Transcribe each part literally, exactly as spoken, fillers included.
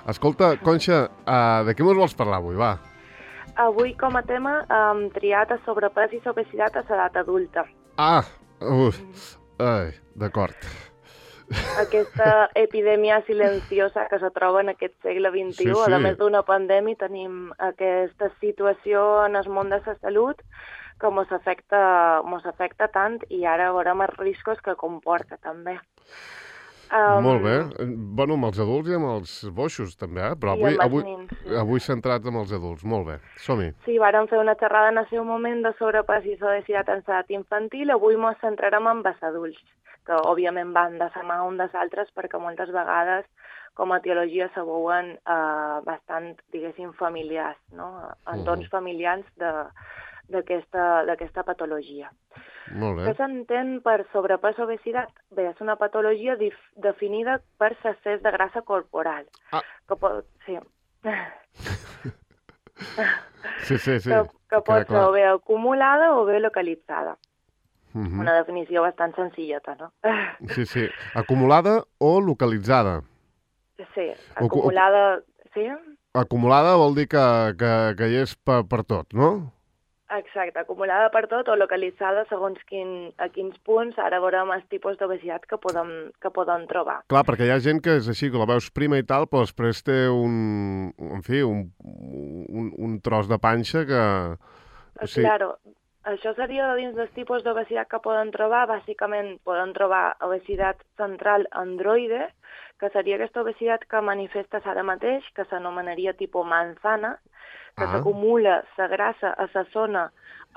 Escolta, Conxa, uh, de què mos vols parlar avui, va? Avui, com a tema, hem triat a sobrepès i obesitat a l'edat adulta. Ah, uh, ai, d'acord. Aquesta epidèmia silenciosa que se troba en aquest segle vint-i-u, Sí, sí. a més d'una pandèmia, tenim aquesta situació en el món de la salut que mos afecta, mos afecta tant i ara veurem els riscos que comporta, també. Um, Molt bé. Bueno, amb els adults i amb els boixos, també, eh? Però avui, avui, nins, sí. avui centrats amb els adults. Molt bé. Som-hi. Sí, vàrem fer una xerrada en el seu moment de sobrepès i obesitat en l'edat infantil. Avui ens centrarem en els adults, que òbviament van de la mà un dels altres perquè moltes vegades com a etiologia se veuen eh, bastant, diguéssim, familiars, no? Entorns uh-huh. familiars de d'aquesta patologia. Molt bé. Què s'entén per sobrepès o obesitat? Bé, és una patologia dif- definida per l'excés de grassa corporal. Ah. Que pot, sí. sí, sí, sí. Que, que pot ser clar. o bé acumulada o bé localitzada. Uh-huh. Una definició bastant senzilleta, no? sí, sí. Acumulada o localitzada? Sí, acumulada... Sí? Acumulada vol dir que, que, que hi és per, per tot, no? Exacte, acumulada per tot o localitzada segons quin, a quins punts. Ara veurem els tipus d'obesitat que podem, que podem trobar. Clar, perquè hi ha gent que és així, que la veus prima i tal, però després té un, en fi, un, un, un tros de panxa que... Sí. Claro, això seria dins dels tipus d'obesitat que poden trobar. Bàsicament poden trobar obesitat central androide, que seria aquesta obesitat que manifestes ara mateix, que s'anomenaria tipus manzana, que ah. s'acumula la grassa a la zona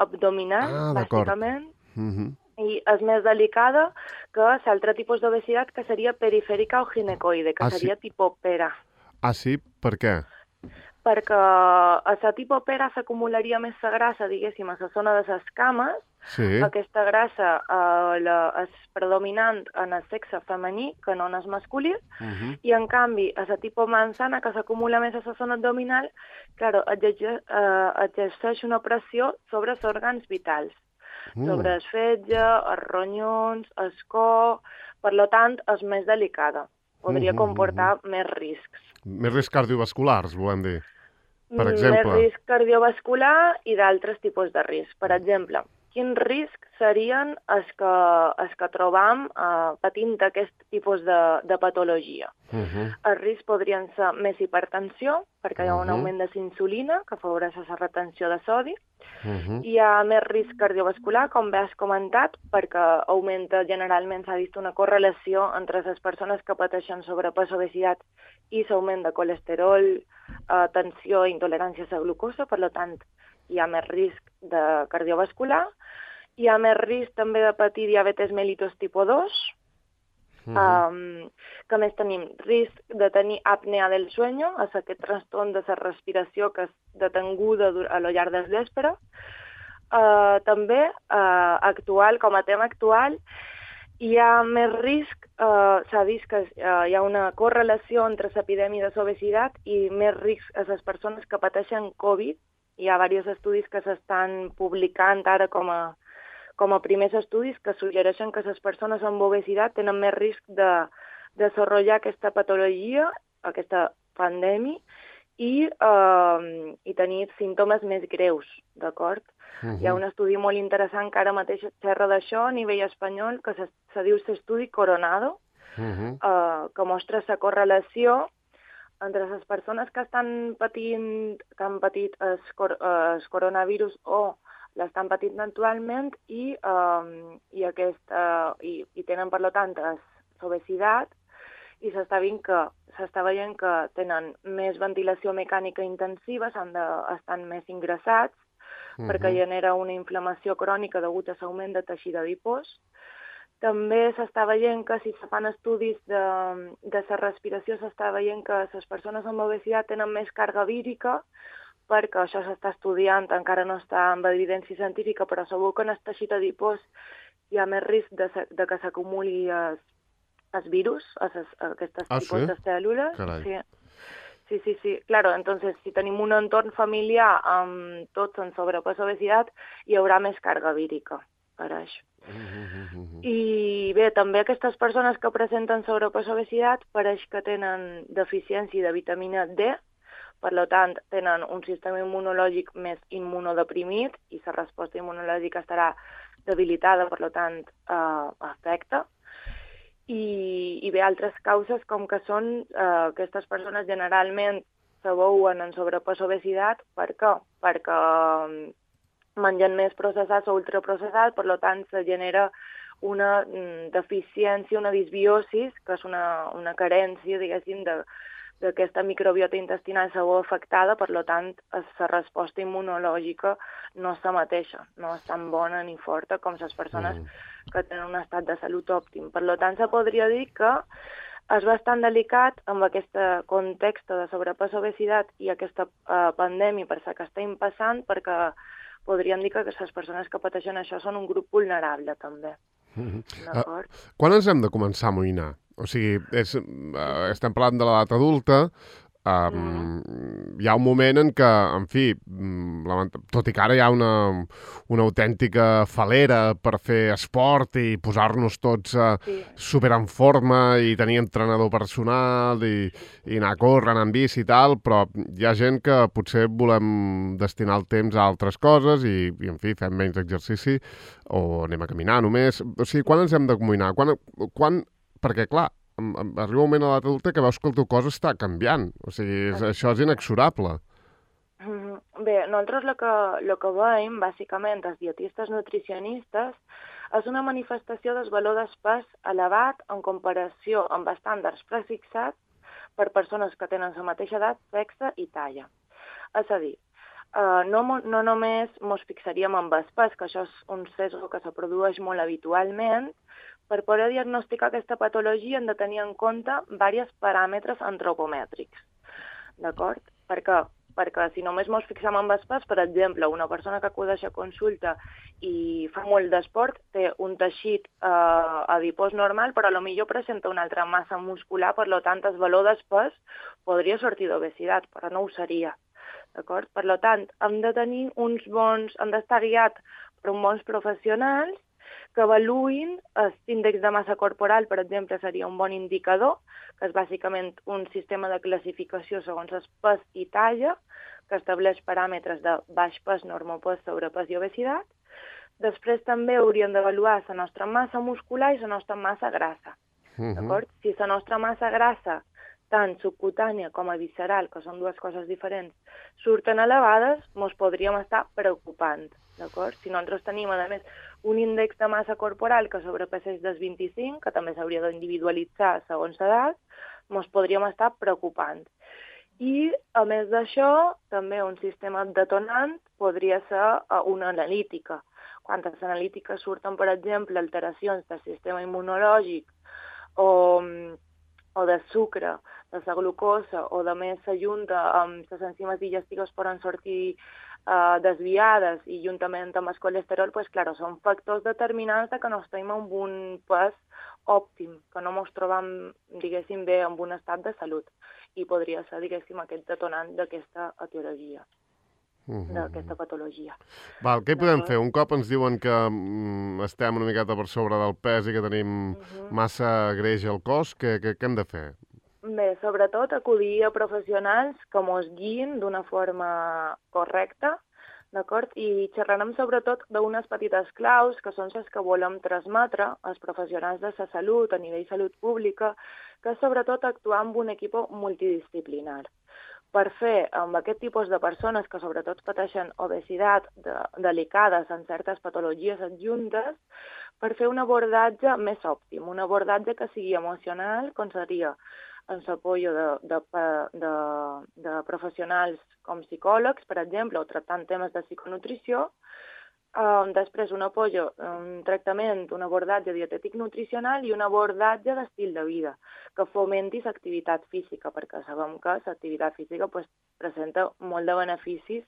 abdominal, ah, bàsicament, uh-huh. i és més delicada que l'altre tipus d'obesitat, que seria perifèrica o ginecoide, que ah, seria sí? tipus pera. Ah, sí? Per què? Perquè a la tipus pera s'acumularia més la grassa, diguéssim, a la zona de les cames. Sí. Aquesta grassa eh, la, és predominant en el sexe femení que no en el masculí, uh-huh. i en canvi a la tipus manzana, que s'acumula més a la zona abdominal, claro, exerceix, eh, exerceix una pressió sobre els òrgans vitals, uh. sobre el fetge, els ronyons, el cor, per tant, és més delicada. Podria uh-huh, comportar uh-huh. més riscs. Més riscs cardiovasculars, volem dir, per exemple. Més risc cardiovascular i d'altres tipus de risc. Per exemple, quins riscs serien els que, els que trobam eh, patint aquest tipus de, de patologia? Uh-huh. Els riscs podrien ser més hipertensió, perquè hi ha un uh-huh. augment de la insulina, que afavoreix la retenció de sodi. Uh-huh. Hi ha més risc cardiovascular, com bé has comentat, perquè augmenta, generalment s'ha vist una correlació entre les persones que pateixen sobrepès o obesitat i l'augment de colesterol, eh, tensió i intolerància a la glucosa. Per tant, hi ha més risc de cardiovascular. Hi ha més risc també de patir diabetes mellitus tipus dos. Uh-huh. Um, que més tenim? Risc de tenir apnea del sueño, és aquest trastorn de la respiració que és detenguda a lo llarg del vespre. Uh, també, uh, actual, com a tema actual, hi ha més risc, uh, s'ha vist que uh, hi ha una correlació entre l'epidèmia de l'obesitat i més risc a les persones que pateixen Covid. Hi ha diversos estudis que s'estan publicant ara com a com a primers estudis que suggereixen que les persones amb obesitat tenen més risc de desenvolupar aquesta patologia, aquesta pandèmia, i, eh, i tenir símptomes més greus, d'acord? Uh-huh. Hi ha un estudi molt interessant que ara mateix xerra d'això a nivell espanyol, que se, se diu l'estudi Coronado, uh-huh. eh, que mostra la correlació entre les persones que estan patint, que han patit el, el coronavirus o l'estan patint actualment i, um, i, aquesta, i, i tenen, per tant, l'obesitat, i s'està veient que s'està veient que tenen més ventilació mecànica intensiva, s'han de, estan més ingressats, uh-huh. perquè genera una inflamació crònica degut a l'augment de teixit adipós. També s'està veient que si se fan estudis de, de la respiració, s'està veient que les persones amb obesitat tenen més càrrega vírica, perquè això s'està estudiant, encara no està amb evidència científica, però segur que en el teixit adipós hi ha més risc de, de que s'acumuli el, el virus, a aquestes ah, tipus sí? de cèl·lules. Carai. Sí. Sí, sí, sí. Claro, entonces, si tenim un entorn familiar amb tots en sobrepès o obesitat, hi haurà més càrrega vírica. pareix. Mm-hmm. I bé, també aquestes persones que presenten sobrepès o obesitat pareix que tenen deficiència de vitamina D, per tant, tenen un sistema immunològic més immunodeprimit i la resposta immunològica estarà debilitada, per tant, eh, afecta. I, i bé, altres causes com que són eh, aquestes persones generalment se veuen en sobrepès o obesitat. Per què? Perquè mengen més processats o ultraprocessats, per tant, se genera una deficiència, una disbiosis, que és una, una carència, diguéssim, de, d'aquesta microbiota intestinal se veu afectada, per tant, la resposta immunològica no és la mateixa, no és tan bona ni forta com les persones mm. que tenen un estat de salut òptim. Per tant, se podria dir que és bastant delicat amb aquest context de sobrepès o obesitat i aquesta uh, pandèmia per la que estem passant, perquè podríem dir que les persones que pateixen això són un grup vulnerable, també. Mm-hmm. D'acord? Uh, quan ens hem de començar a amoïnar? O sigui, és, uh, estem parlant de l'edat adulta, um, mm. hi ha un moment en què, en fi, tot i que ara hi ha una, una autèntica falera per fer esport i posar-nos tots uh, sí. super en forma i tenir entrenador personal i, i anar a córrer, anar en bici i tal, però hi ha gent que potser volem destinar el temps a altres coses i, i en fi, fem menys exercici o anem a caminar només. O sigui, quan ens hem d'amoïnar? Quan, quan, perquè, clar, arriba un moment a l'edat adulta que veus que el teu cos està canviant. O sigui, és, això és inexorable. Bé, nosaltres el que, el que veiem, bàsicament, els dietistes nutricionistes, és una manifestació del valor d'espès elevat en comparació amb estàndards prefixats per persones que tenen la mateixa edat, sexe i talla. És a dir, Uh, no, no només ens fixaríem en espès, que això és un sesgo que se produeix molt habitualment. Per poder diagnosticar aquesta patologia hem de tenir en compte diversos paràmetres antropomètrics. D'acord? Per què? Perquè si només ens fixem en espès, per exemple, una persona que acudeix a consulta i fa molt d'esport té un teixit uh, adipós normal, però potser presenta una altra massa muscular, per tant, el valor d'espès podria sortir d'obesitat, però no ho seria. D'acord? Per tant, hem de tenir uns bons, hem d'estar guiats per uns bons professionals que avaluïn l'índex de massa corporal, per exemple, seria un bon indicador, que és bàsicament un sistema de classificació segons el pes i talla, que estableix paràmetres de baix pes, normopès, sobrepès i obesitat. Després també hauríem d'avaluar la nostra massa muscular i la nostra massa grassa. Uh-huh. D'acord? Si la nostra massa grassa, tant subcutània com a visceral, que són dues coses diferents, surten elevades, ens podríem estar preocupant, d'acord? Si nosaltres tenim, a més, un índex de massa corporal que sobrepassa dels vint-i-cinc, que també s'hauria d'individualitzar segons l'edat, ens podríem estar preocupant. I, a més d'això, també un sistema detonant podria ser una analítica. Quan les analítiques surten, per exemple, alteracions del sistema immunològic o... o de sucre, de la glucosa, o de més s'ajunta amb les enzimes digestives poden sortir uh, desviades i juntament amb el colesterol, pues, clar, són factors determinants de que no estem en un pes òptim, que no ens trobem, diguéssim, bé en un estat de salut. I podria ser, diguéssim, aquest detonant d'aquesta etiologia. Uh-huh. d'aquesta patologia. Val, què podem fer? Un cop ens diuen que mm, estem una miqueta per sobre del pes i que tenim uh-huh. massa greix al cos, què, què, què hem de fer? Bé, sobretot acudir a professionals que mos guiïn d'una forma correcta, d'acord? I xerrarem sobretot d'unes petites claus que són les que volem transmetre als professionals de la salut, a nivell salut pública, que és sobretot actuar amb un equip multidisciplinar. Per fer amb aquest tipus de persones que sobretot pateixen obesitat de, delicades en certes patologies adjuntes, per fer un abordatge més òptim, un abordatge que sigui emocional, com seria en l'apoyo de, de, de, de professionals com psicòlegs, per exemple, o tractant temes de psiconutrició. Uh, després un apoyo, un tractament, un abordatge dietètic nutricional i un abordatge d'estil de vida que fomenti l'activitat física, perquè sabem que l'activitat física pues, presenta molt de beneficis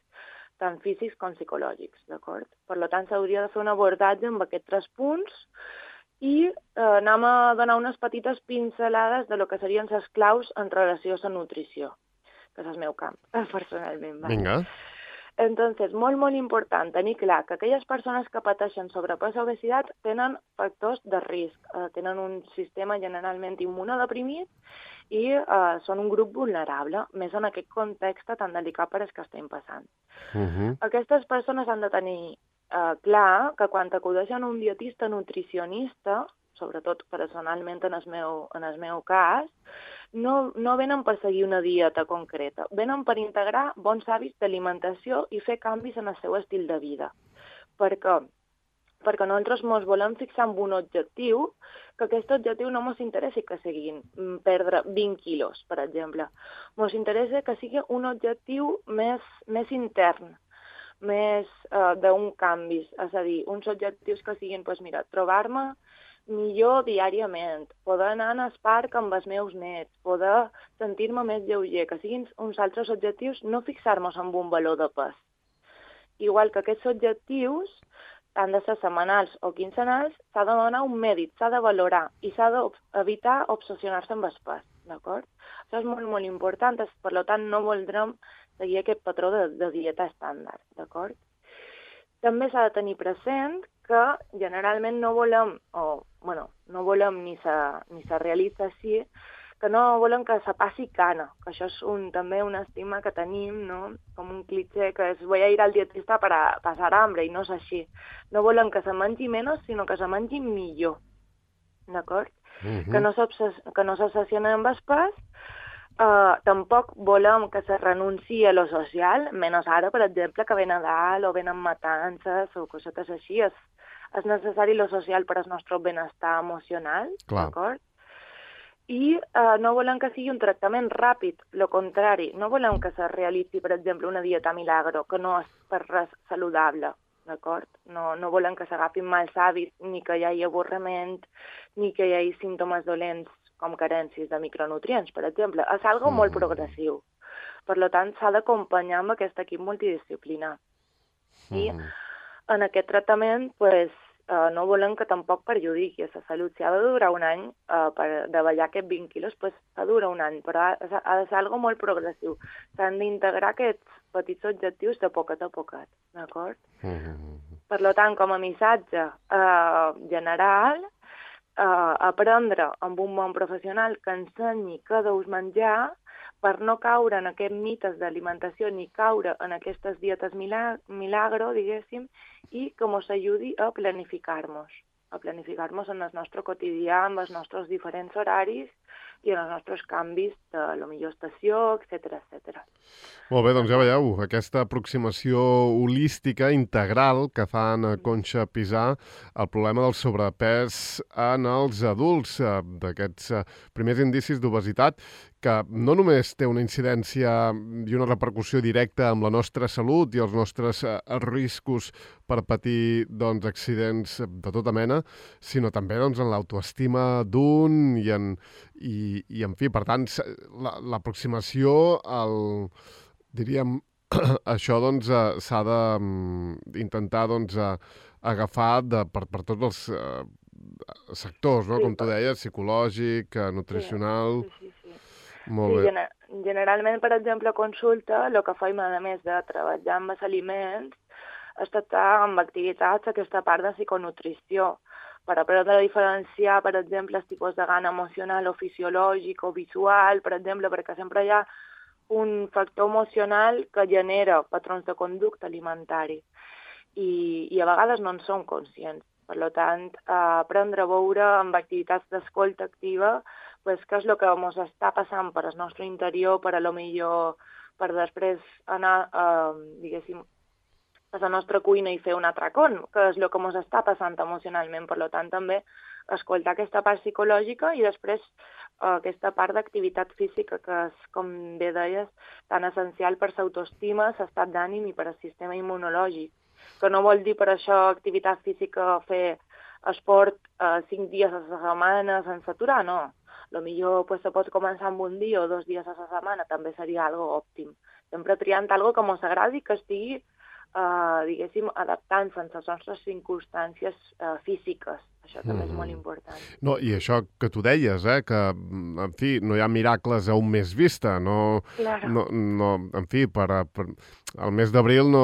tant físics com psicològics, d'acord? Per tant, s'hauria de fer un abordatge amb aquests tres punts i eh, anem a donar unes petites pincelades de lo que serien les claus en relació a la nutrició, que és el meu camp, personalment. Vinga. Entonces, molt, molt important tenir clar que aquelles persones que pateixen sobrepès o obesitat tenen factors de risc, eh, tenen un sistema generalment immunodeprimit i eh, són un grup vulnerable, més en aquest context tan delicat per el que estem passant. Uh -huh. Aquestes persones han de tenir eh, clar que quan acudeixen a un dietista nutricionista, sobretot personalment en el meu, en el meu cas, no, no venen per seguir una dieta concreta, venen per integrar bons hàbits d'alimentació i fer canvis en el seu estil de vida. Per què? Perquè nosaltres ens volem fixar en un objectiu, que aquest objectiu no ens interessa que siguin perdre vint quilos, per exemple. Ens interessa que sigui un objectiu més, més intern, més eh, d'un canvi, és a dir, uns objectius que siguin, doncs mira, trobar-me millor diàriament, poder anar al parc amb els meus nets, poder sentir-me més lleuger, que siguin uns altres objectius, no fixar-nos en un valor de pes. Igual que aquests objectius, han de ser setmanals o quinzenals, s'ha de donar un mèrit, s'ha de valorar i s'ha d'evitar obsessionar-se amb el pes, d'acord? Això és molt, molt important, per tant no voldrem seguir aquest patró de, de dieta estàndard, d'acord? També s'ha de tenir present que generalment no volem, o bueno, no volem ni se, ni se realitza així, que no volem que se passi cana, que això és un, també un estima que tenim, no? Com un cliché, que és voy a ir al dietista per a passar hambre, i no és així. No volem que se mengi menys, sinó que se mengi millor, d'acord? Uh-huh. Que no s'obsessiona amb el pes. Uh, tampoc volem que se renunciï a lo social, menys ara, per exemple, que ve Nadal o venen matances o cosetes així. És, és necessari lo social per al nostre benestar emocional, d'acord? I uh, no volem que sigui un tractament ràpid, lo contrari. No volem que se realitzi, per exemple, una dieta milagro, que no és per res saludable, d'acord? No, no volem que s'agafin mals hàbits, ni que hi hagi avorriment, ni que hi hagi símptomes dolents com carències de micronutrients, per exemple. És algo mm. molt progressiu. Per tant, s'ha d'acompanyar amb aquest equip multidisciplinar. Mm. I en aquest tractament, pues, uh, no volem que tampoc perjudiqui la salut. Si ha de durar un any uh, per davallar aquests vint quilos, pues, ha de durar un any, però ha, ha de ser algo molt progressiu. S'han d'integrar aquests petits objectius de poquet a poquet, d'acord? Mm. Per tant, com a missatge uh, general, Uh, aprendre amb un bon professional que ensenyi què deus menjar per no caure en aquests mites d'alimentació ni caure en aquestes dietes milag milagro, diguéssim, i que ens ajudi a planificar-nos, a planificar-nos en el nostre quotidià, amb els nostres diferents horaris i en els nostres canvis de la millor estació, etcètera, etcètera. Molt bé, doncs ja veieu, aquesta aproximació holística, integral, que fan a Conxa Pisà al problema del sobrepès en els adults, d'aquests primers indicis d'obesitat, que no només té una incidència i una repercussió directa amb la nostra salut i els nostres riscos per patir doncs, accidents de tota mena, sinó també doncs, en l'autoestima d'un i, en, i, i, en fi, per tant, l'aproximació al, diríem, això doncs s'ha d'intentar doncs, agafar de, per, per tots els uh, sectors, no? Sí, com tu deies, psicològic, nutricional... Sí, sí, sí. Molt sí, gener generalment, per exemple, a consulta, el que faim, a més de treballar amb els aliments, és tractar amb activitats aquesta part de psiconutrició, per aprendre a diferenciar, per exemple, els tipus de gana emocional o fisiològic o visual, per exemple, perquè sempre hi ha un factor emocional que genera patrons de conducta alimentari i, i a vegades no en som conscients. Per tant, aprendre a veure amb activitats d'escolta activa pues, què és el que ens està passant per al nostre interior, per a lo millor, per després anar, eh, diguéssim, a la nostra cuina i fer un atracón, que és el que ens està passant emocionalment. Per tant, també escoltar aquesta part psicològica i després eh, aquesta part d'activitat física, que és, com bé deies, tan essencial per l'autoestima, l'estat d'ànim i per al sistema immunològic. Que no vol dir per això activitat física fer esport eh, cinc dies a la setmana sense aturar, no. A lo millor pues, se pot començar amb un dia o dos dies a la setmana, també seria algo òptim. Sempre triant algo que ens agradi, que estigui, eh, diguéssim, adaptant-se a les nostres circumstàncies eh, físiques. Això també mm-hmm. és molt important. No, i això que tu deies, eh, que, en fi, no hi ha miracles a un mes vista, no... Claro. no, no en fi, per, per el mes d'abril no...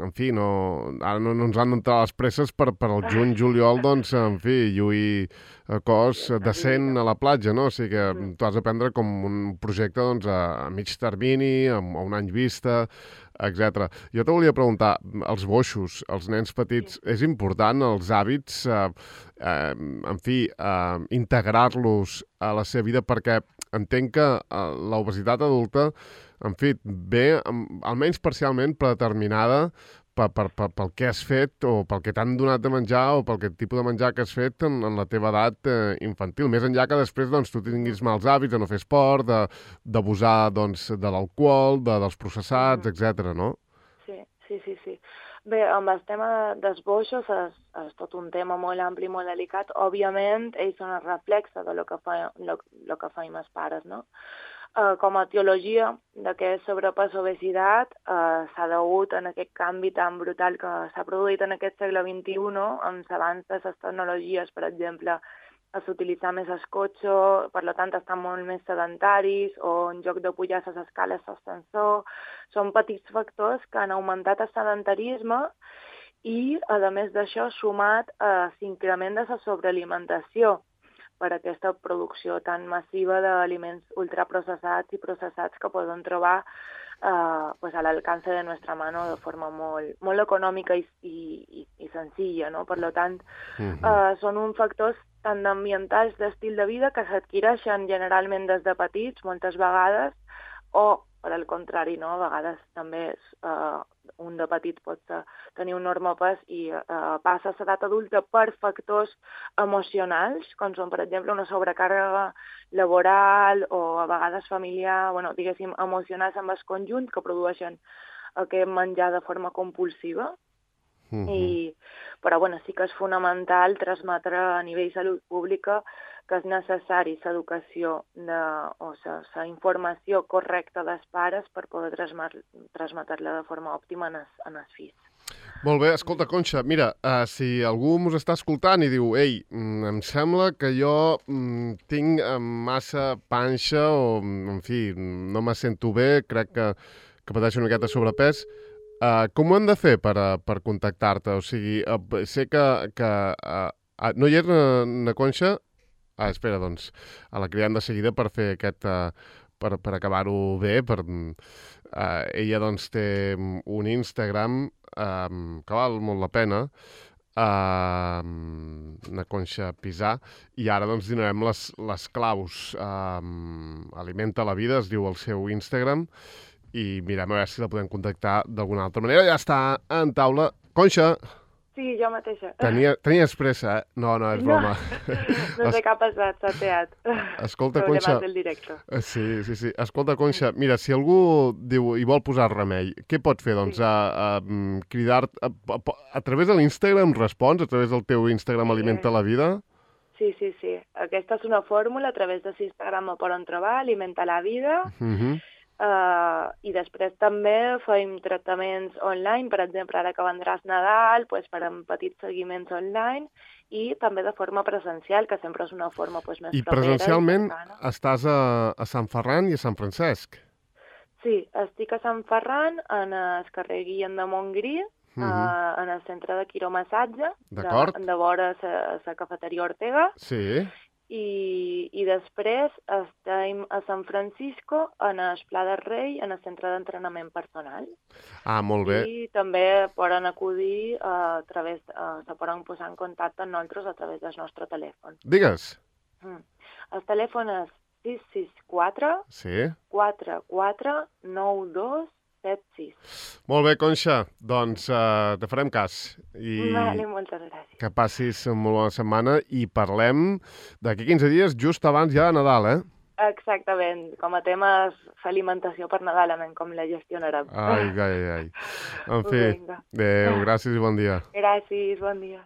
En fi, no... Ara no, no ens han d'entrar les presses per, per el juny, juliol, doncs, en fi, lluir a cos decent a la platja, no? O sigui que mm. tu has de prendre com un projecte, doncs, a, a mig termini, a, a un any vista, etcètera. Jo te volia preguntar, els boixos, els nens petits, sí. és important els hàbits, eh, eh, en fi, eh, integrar-los a la seva vida, perquè entenc que eh, l'obesitat adulta, en fi, ve almenys parcialment predeterminada per, per, per, pel que has fet o pel que t'han donat de menjar o pel que tipus de menjar que has fet en, en la teva edat eh, infantil. Més enllà que després doncs, tu tinguis mals hàbits de no fer esport, d'abusar doncs, de l'alcohol, de, dels processats, etcètera, no? Sí, sí, sí, sí. Bé, amb el tema dels boixos és, és tot un tema molt ampli, molt delicat. Òbviament, ells són el reflexe de lo que, fa, lo, lo que feim els pares, no? Uh, com a etiologia d'aquest sobrepès o obesitat uh, s'ha degut en aquest canvi tan brutal que s'ha produït en aquest segle vint-i-u, no? Amb l'avanç de les tecnologies, per exemple, s'utilitza més el cotxe, per tant estan molt més sedentaris, o en lloc de pujar les escales l'ascensor. Són petits factors que han augmentat el sedentarisme i, a més d'això, sumat a l'increment de la sobrealimentació per aquesta producció tan massiva d'aliments ultraprocessats i processats que poden trobar eh, pues a l'alcance de nostra mano de forma molt, molt econòmica i, i, i senzilla, no? Per tant, uh-huh. eh, són uns factors tant ambientals d'estil de vida que s'adquireixen generalment des de petits, moltes vegades, o, per al contrari, no? A vegades també eh, un de petit pot tenir un enorme pes i eh, passa a l'edat adulta per factors emocionals, com són, per exemple, una sobrecàrrega laboral o a vegades familiar, bueno, diguéssim, emocionals amb el conjunt que produeixen aquest menjar de forma compulsiva. Uh-huh. I, però bueno, sí que és fonamental transmetre a nivell de salut pública que és necessari l'educació o la informació correcta dels pares per poder transmetre-la de forma òptima en els, en els fills. Molt bé, escolta, Conxa, mira, uh, si algú mos està escoltant i diu ei, mm, em sembla que jo mm, tinc massa panxa o, en fi, no me sento bé, crec que, que pateixo una miqueta de sobrepès, uh, com ho hem de fer per, uh, per contactar-te? O sigui, uh, sé que, que uh, uh, no hi és na, na Conxa? Ah, espera, doncs, a la cridem de seguida per fer aquest, uh, per, per acabar-ho bé, per, uh, ella doncs té un Instagram um, que val molt la pena, uh, una Conxa Pisà, i ara doncs donarem les, les claus. Um, Alimenta la vida, es diu el seu Instagram, i mirem a veure si la podem contactar d'alguna altra manera. Ja està en taula. Conxa! Sí, jo mateixa. Tenia, tenies pressa, eh? No, no, és broma. No, no sé què ha passat, s'ha teat. Escolta, Conxa... del directe. Sí, sí, sí. Escolta, Conxa, mira, si algú diu i vol posar remei, què pot fer? Doncs sí. a, a cridar... A, a, a través de l'Instagram respons? A través del teu Instagram sí. Alimenta la vida? Sí, sí, sí. Aquesta és una fórmula, a través de l'Instagram me poden trobar, Alimenta la vida. Uh-huh. Uh, i després també fem tractaments online, per exemple, ara que vendràs Nadal, pues, farem petits seguiments online i també de forma presencial, que sempre és una forma pues, més I propera. I presencialment estàs a, a Sant Ferran i a Sant Francesc? Sí, estic a Sant Ferran, en el carrer Guillem de Montgrí, uh-huh. uh, en el centre de quiromassatge, de, de vora la cafeteria Ortega. Sí. I, i després estem a San Francisco, en el Pla del Rei, en el centre d'entrenament personal. Ah, molt bé. I també poden acudir a través, uh, se poden posar en contacte amb nosaltres a través del nostre telèfon. Digues. Mm. El telèfon és sis sis quatre sí. quatre quatre nou dos set sis. Molt bé, Conxa. Doncs uh, te farem cas. I vale, moltes gràcies. Que passis una molt bona setmana i parlem d'aquí quinze dies, just abans ja de Nadal, eh? Exactament. Com a tema és fer alimentació per Nadal, anem com la gestionarem. Ai, ai, ai. En fi, adéu, gràcies i bon dia. Gràcies, bon dia.